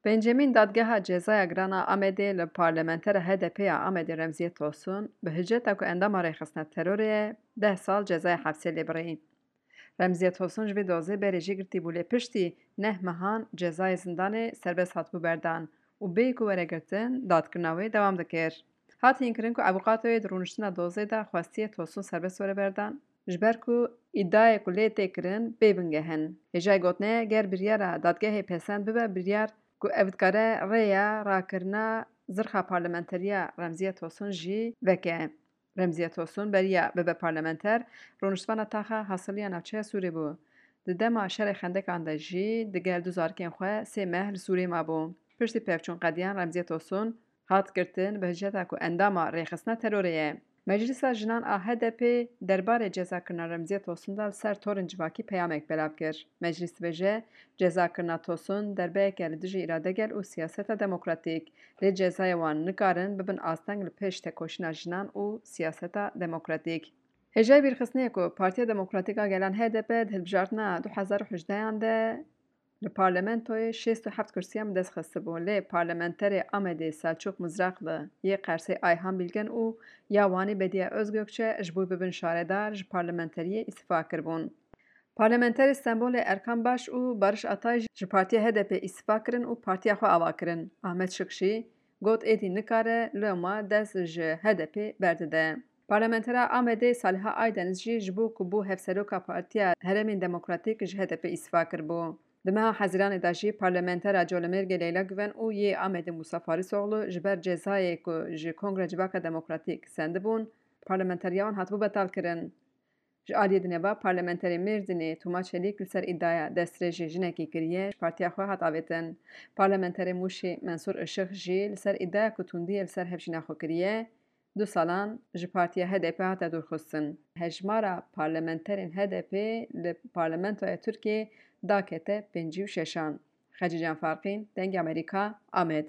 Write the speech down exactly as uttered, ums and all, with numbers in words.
Pêncemîn Dadgeha Cezaya Giran a Amedê li parlamentera H D P ya Amedê Remziye Tosun bi hiceta ku endama rêxistina terorê ye, deh sal cezaya hefsê lê birî. Remziye Tosun ji vê dozê berê jî girtî bû, lê piştî neh mehan cezayê zindanê serbest hatibû berdan û bêyî ku were girtin, dadkirina wê dewam dikir. Hat hînkirin ku avûkatoyê di rûniştina dozê de xwestiye Tosun serbest were berdan, ji ber ku îdiayê ku lê tê kirin bê bingeh in. Hêjayê gotinê ye, ger biryara dadgehê pesend bibe, biryar ku ev dikare rêya rakirina zirxa parlamenteriya Remziye Tosun jî veke. Remziye Tosun beriya bibe parlamenter, rûniştvana taxa hasiliya navçeya Sûrê bû. Di dema şerê xendekan de jî digel du zarikên xwe sê meh li Sûrê mabû. Piştî pevçûn qediyan Remziye Tosun hat girtin bi hiceta ku endama rêxistina terorê ye. Meclisa Jinan a H D P derbarê cezakirina Remziye Tosun de li ser torên civakî peyamek belav kir. Meclîs dibêje, cezakirina Tosun derbeyeke li dijî îradegel û siyaseta demokratîk, lê cezayê wan nikarin bibin asteng li pêş tekoşîna jinan û siyaseta demokratîk. Hêjayê bîrxistinê ye ku Partiya Demokratîk a Gelan H D P di hilbijartina du hezar û hejdehan de li parlamentoyê şêst û heft kursiyan bi dest xistibû, lê parlamenterê Amedê Selçûk Mizraqli, yê Qersê Ayhan Bilgin û ya Wanê Bediye Özgökçe ji bo bibin şaredar ji parlamenteriyê îstifa kiribûn. Parlamenterê Stenbolê Erkan Baş û Barış Atay jî ji Partiya H D P îstifa kirin û partiya xwe ava kirin. Ahmet Şik jî got êdî nikare loma dest ji H D P berdide. Parlamentera Amedê Saliha Aydeniz jî ji bo ku bû hevseroka Partiya Herêmên Demokratîk ji H D P îstifa kiribû. Di meha Hezîranê de jî parlamentera Colemêrgê Leyla Guven û yê Amedê Musa Farisoğlu ji ber cezayê ku ji Kongra Civaka Demokratîk sendibûn, parlamenteriya wan hatibû betalkirin. Ji aliyê dinê ve parlamenterê Mêrdînê Toma Çelîk li ser îdiaya destdirêjê jinekê kiriye, ji partiya xwe hat avêtin. Parlamenterê Mûşê Mensûr Işık jî li ser îdiaya ku tundiyê li ser hevjîna xwe kiriye, du salan ji partiya H D P hate dûrxistin. Hejmara parlamenterên H D P li parlamentoya Tirkiyê dakete pêncî û şeşan. Xecîcan Farqîn, Dengê Amerîka, Amed.